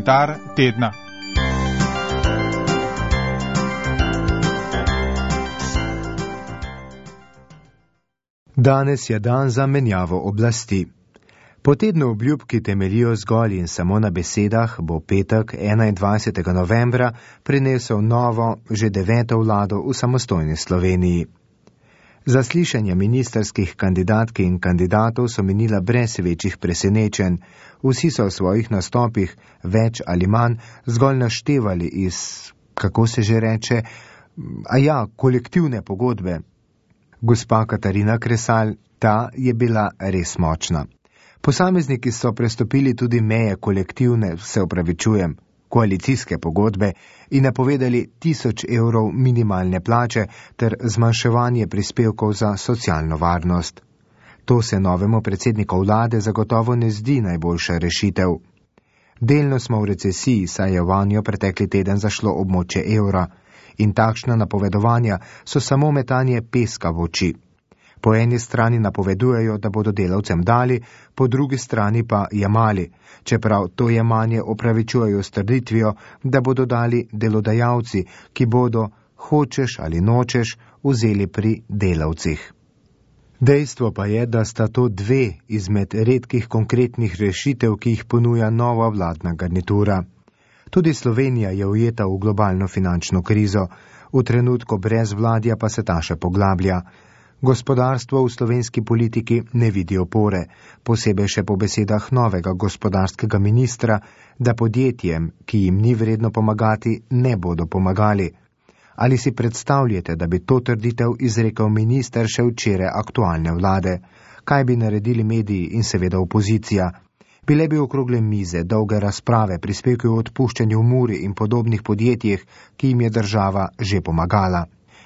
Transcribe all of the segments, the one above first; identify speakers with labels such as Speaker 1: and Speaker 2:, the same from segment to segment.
Speaker 1: Komentar tedna.
Speaker 2: Danes je dan za menjavo oblasti. Po tednu obljub, ki temeljijo zgolj in samo na besedah, bo petek 21. novembra prinesel novo, že 9. vlado v samostojni Sloveniji. Zaslišanja ministrskih kandidatk in kandidatov so minila brez večjih presenečenj. Vsi so v svojih nastopih več ali manj zgolj naštevali iz, kako se že reče, kolektivne pogodbe. Gospa Katarina Kresal, ta je bila res močna. Posamezniki so prestopili tudi meje kolektivne, koalicijske pogodbe in napovedali 1000 evrov minimalne plače ter zmanjševanje prispevkov za socialno varnost. To se novemu predsedniku vlade zagotovo ne zdi najboljša rešitev. Delno smo v recesiji, saj je vanjo pretekli teden zašlo območje evra in takšna napovedovanja so samo metanje peska v oči. Po eni strani napovedujejo, da bodo delavcem dali, po drugi strani pa jemali, čeprav to jemanje opravičujejo s trditvijo, da bodo dali delodajalci, ki bodo, hočeš ali nočeš, vzeli pri delavcih. Dejstvo pa je, da sta to dve izmed redkih konkretnih rešitev, ki jih ponuja nova vladna garnitura. Tudi Slovenija je ujeta v globalno finančno krizo, v trenutku brezvladja pa se ta še poglablja. Gospodarstvo v slovenski politiki ne vidi opore, posebej še po besedah novega gospodarskega ministra, da podjetjem, ki jim ni vredno pomagati, ne bodo pomagali. Ali si predstavljate, da bi to trditev izrekel minister še včeraj aktualne vlade? Kaj bi naredili mediji in seveda opozicija? Bile bi okrogle mize, dolge razprave, prispevki o odpuščanju v Muri in podobnih podjetjih, ki jim je država že pomagala.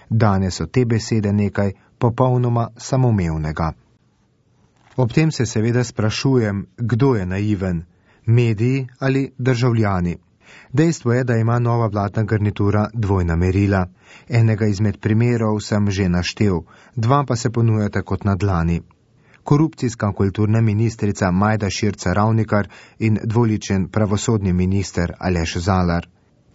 Speaker 2: Danes so te besede nekaj popolnoma samoumevnega. Ob tem se seveda sprašujem, kdo je naiven, mediji ali državljani. Dejstvo je, da ima nova vladna garnitura dvojna merila. Enega izmed primerov sem že naštel, dva pa se ponujata kot na dlani. Korupcijska kulturna ministrica Majda Širca Ravnikar in dvoličen pravosodni minister Aleš Zalar.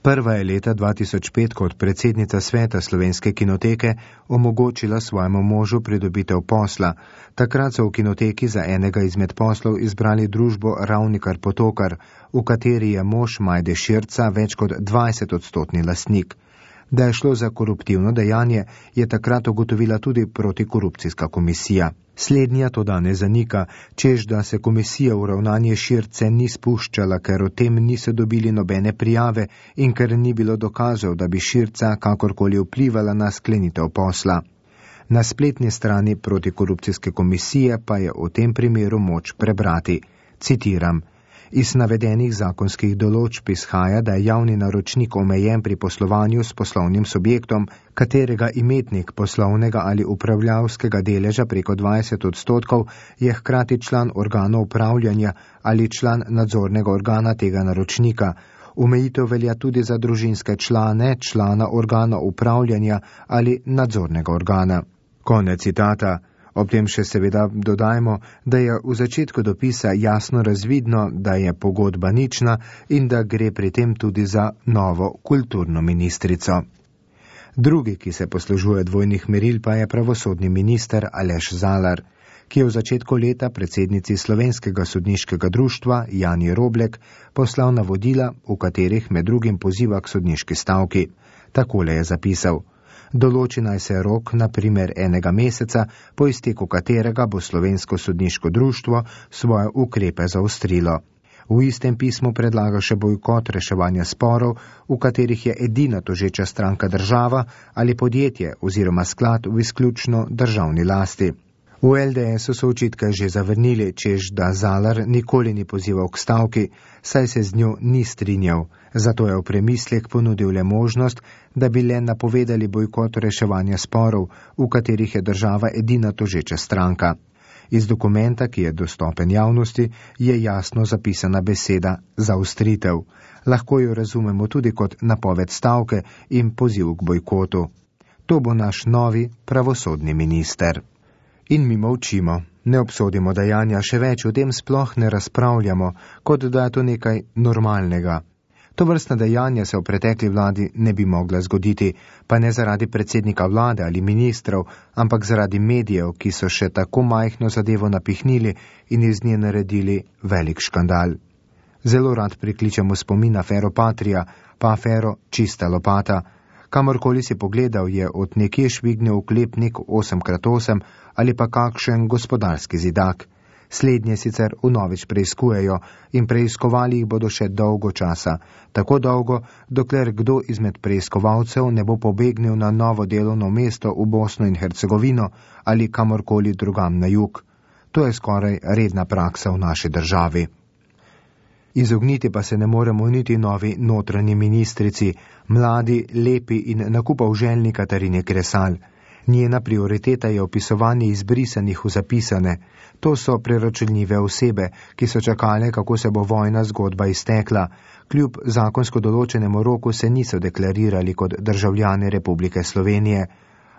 Speaker 2: Prva je leta 2005 kot predsednica sveta Slovenske kinoteke omogočila svojemu možu pridobitev posla. Takrat so v kinoteki za enega izmed poslov izbrali družbo Ravnikar Potokar, v kateri je mož Majde Širca več kot 20% lastnik. Da je šlo za koruptivno dejanje, je takrat ugotovila tudi protikorupcijska komisija. Slednja to danes zanika, čež da se komisija v ravnanje Širce ni spuščala, ker o tem niso dobili nobene prijave in ker ni bilo dokazov, da bi Širca kakorkoli vplivala na sklenitev posla. Na spletni strani protikorupcijske komisije pa je v tem primeru moč prebrati. Citiram. Iz navedenih zakonskih določb izhaja, da je javni naročnik omejen pri poslovanju s poslovnim subjektom, katerega imetnik poslovnega ali upravljavskega deleža preko 20% je hkrati član organa upravljanja ali član nadzornega organa tega naročnika. Omejitev velja tudi za družinske člane, člana organa upravljanja ali nadzornega organa. Konec citata. Ob tem še seveda dodajmo, da je v začetku dopisa jasno razvidno, da je pogodba nična in da gre pri tem tudi za novo kulturno ministrico. Drugi, ki se poslužuje dvojnih meril, pa je pravosodni minister Aleš Zalar, ki je v začetku leta predsednici Slovenskega sodniškega društva Jani Roblek poslal navodila, v katerih med drugim poziva k sodniški stavki. Takole je zapisal. Določi naj se rok, na primer 1 meseca, po izteku katerega bo Slovensko sodniško društvo svoje ukrepe zaostrilo. V istem pismu predlaga še bojkot reševanja sporov, v katerih je edina tožeča stranka država ali podjetje oziroma sklad v izključno državni lasti. V LDS-u so očitke že zavrnili, čež da Zalar nikoli ni pozival k stavki, saj se z njo ni strinjal. Zato je v premislek ponudil le možnost, da bi le napovedali bojkot reševanja sporov, v katerih je država edina tožeča stranka. Iz dokumenta, ki je dostopen javnosti, je jasno zapisana beseda zaostritev. Lahko jo razumemo tudi kot napoved stavke in poziv k bojkotu. To bo naš novi pravosodni minister. In mi molčimo, ne obsodimo dejanja, še več o tem sploh ne razpravljamo, kot da je to nekaj normalnega. To vrstna dejanja se v pretekli vladi ne bi mogla zgoditi, pa ne zaradi predsednika vlade ali ministrov, ampak zaradi medijev, ki so še tako majhno zadevo napihnili in iz nje naredili velik škandal. Zelo rad prikličemo spomin afero Patria, pa afero Čista lopata. Kamorkoli si pogledal, je od nekje švignil oklepnik 8x8 ali pa kakšen gospodarski zidak. Slednje sicer vnovič preiskujejo in preiskovali jih bodo še dolgo časa, tako dolgo, dokler kdo izmed preiskovalcev ne bo pobegnil na novo delovno mesto v Bosno in Hercegovino ali kamorkoli drugam na jug. To je skoraj redna praksa v naši državi. Izogniti pa se ne moremo niti novi notranji ministrici, mladi, lepi in nakupov željni Katarini Kresal. Njena prioriteta je opisovanje izbrisanih v zapisane. To so preračunljive osebe, ki so čakale, kako se bo vojna zgodba iztekla. Kljub zakonsko določenemu roku se niso deklarirali kot državljani Republike Slovenije,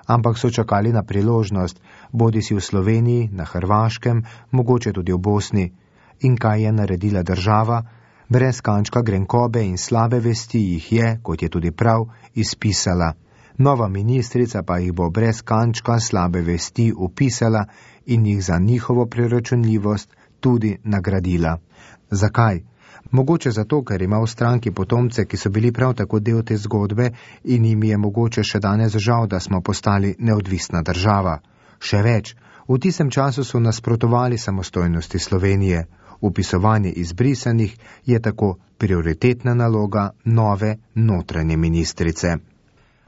Speaker 2: ampak so čakali na priložnost, bodisi v Sloveniji, na Hrvaškem, mogoče tudi v Bosni. In kaj je naredila država? Brez kančka grenkobe in slabe vesti jih je, kot je tudi prav, izpisala. Nova ministrica pa jih bo brez kančka slabe vesti upisala in jih za njihovo preračunljivost tudi nagradila. Zakaj? Mogoče zato, ker ima v stranki potomce, ki so bili prav tako del te zgodbe in jim je mogoče še danes žal, da smo postali neodvisna država. Še več, v tistem času so nasprotovali samostojnosti Slovenije. Upisovanje izbrisanih je tako prioritetna naloga nove notranje ministrice.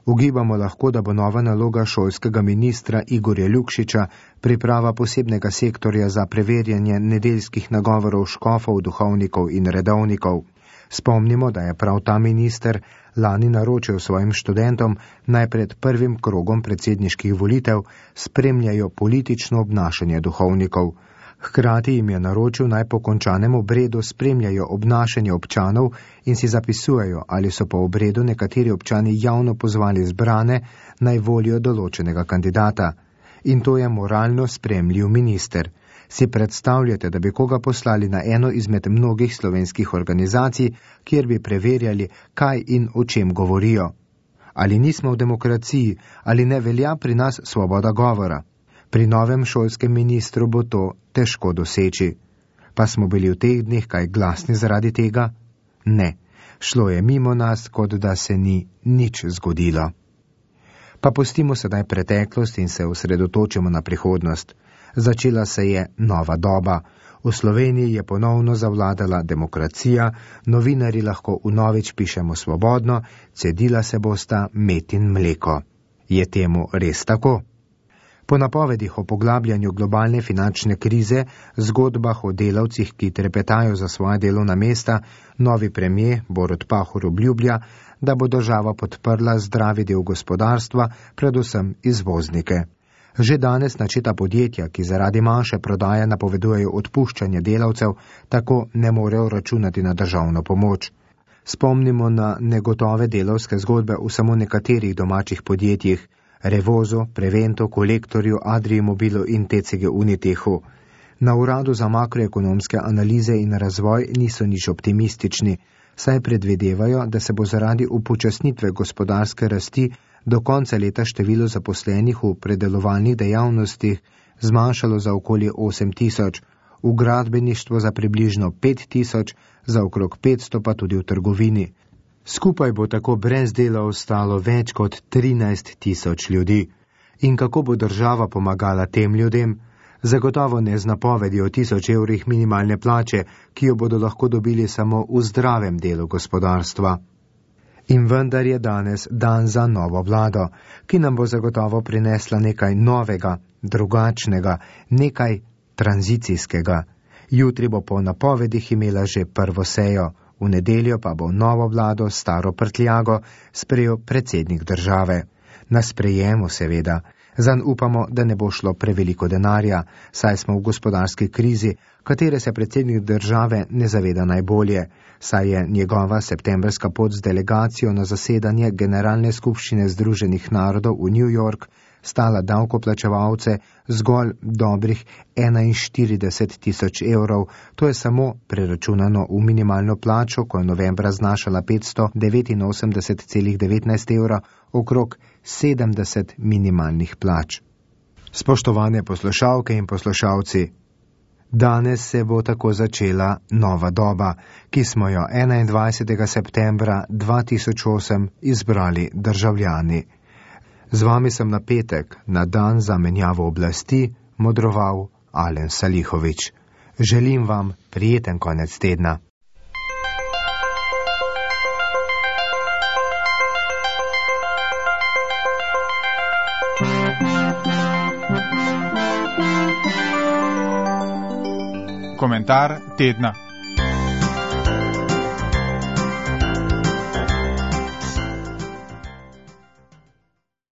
Speaker 2: Ugibamo lahko, da bo nova naloga šolskega ministra Igorja Lukšiča priprava posebnega sektorja za preverjanje nedeljskih nagovorov škofov, duhovnikov in redovnikov. Spomnimo, da je prav ta minister lani naročil svojim študentom naj pred prvim krogom predsedniških volitev spremljajo politično obnašanje duhovnikov. Hkrati jim je naročil naj po končanem obredu spremljajo obnašanje občanov in si zapisujejo, ali so po obredu nekateri občani javno pozvali zbrane naj volijo določenega kandidata. In to je moralno spremljiv minister. Si predstavljate, da bi koga poslali na eno izmed mnogih slovenskih organizacij, kjer bi preverjali, kaj in o čem govorijo? Ali nismo v demokraciji, ali ne velja pri nas svoboda govora? Pri novem šolskem ministru bo to težko doseči. Pa smo bili v teh dneh kaj glasni zaradi tega? Ne, šlo je mimo nas, kot da se ni nič zgodilo. Pa pustimo sedaj preteklost in se osredotočimo na prihodnost. Začela se je nova doba. V Sloveniji je ponovno zavladala demokracija, novinarji lahko vnovič pišemo svobodno, cedila se bosta med in mleko. Je temu res tako? Po napovedih o poglabljanju globalne finančne krize, zgodbah o delavcih, ki trepetajo za svoja delovna mesta, novi premier Borut Pahor obljublja, da bo država podprla zdravi del gospodarstva, predvsem izvoznike. Že danes načeta podjetja, ki zaradi manjše prodaje napovedujejo odpuščanje delavcev, tako ne morejo računati na državno pomoč. Spomnimo na negotove delavske zgodbe v samo nekaterih domačih podjetjih, Revozu, Prevento, Kolektorju, Adrii Mobilu in TCG Unitehu. Na uradu za makroekonomske analize in razvoj niso nič optimistični, saj predvidevajo, da se bo zaradi upočasnitve gospodarske rasti do konca leta število zaposlenih v predelovalnih dejavnostih zmanjšalo za okoli 8.000, v gradbeništvu za približno 5.000, za okrog 500 pa tudi v trgovini. Skupaj bo tako brez dela ostalo več kot 13.000 ljudi. In kako bo država pomagala tem ljudem? Zagotovo ne z napovedi o 1000 evrih minimalne plače, ki jo bodo lahko dobili samo v zdravem delu gospodarstva. In vendar je danes dan za novo vlado, ki nam bo zagotovo prinesla nekaj novega, drugačnega, nekaj tranzicijskega. Jutri bo po napovedih imela že prvo sejo. V nedeljo pa bo novo vlado, staro prtljago, sprejel predsednik države. Na sprejemu seveda. Zanj upamo, da ne bo šlo preveliko denarja, saj smo v gospodarski krizi, katere se predsednik države ne zaveda najbolje, saj je njegova septembrska pot z delegacijo na zasedanje Generalne skupščine Združenih narodov v New York stala davkoplačevalce zgolj dobrih 41 tisoč evrov. To je samo preračunano v minimalno plačo, ko je novembra znašala 589,19 evra, okrog 70 minimalnih plač. Spoštovane poslušalke in poslušalci, danes se bo tako začela nova doba, ki smo jo 21. septembra 2008 izbrali državljani. Z vami sem na petek, na dan za menjavo oblasti, modroval Alen Salihović. Želim vam prijeten konec tedna.
Speaker 1: Komentar tedna.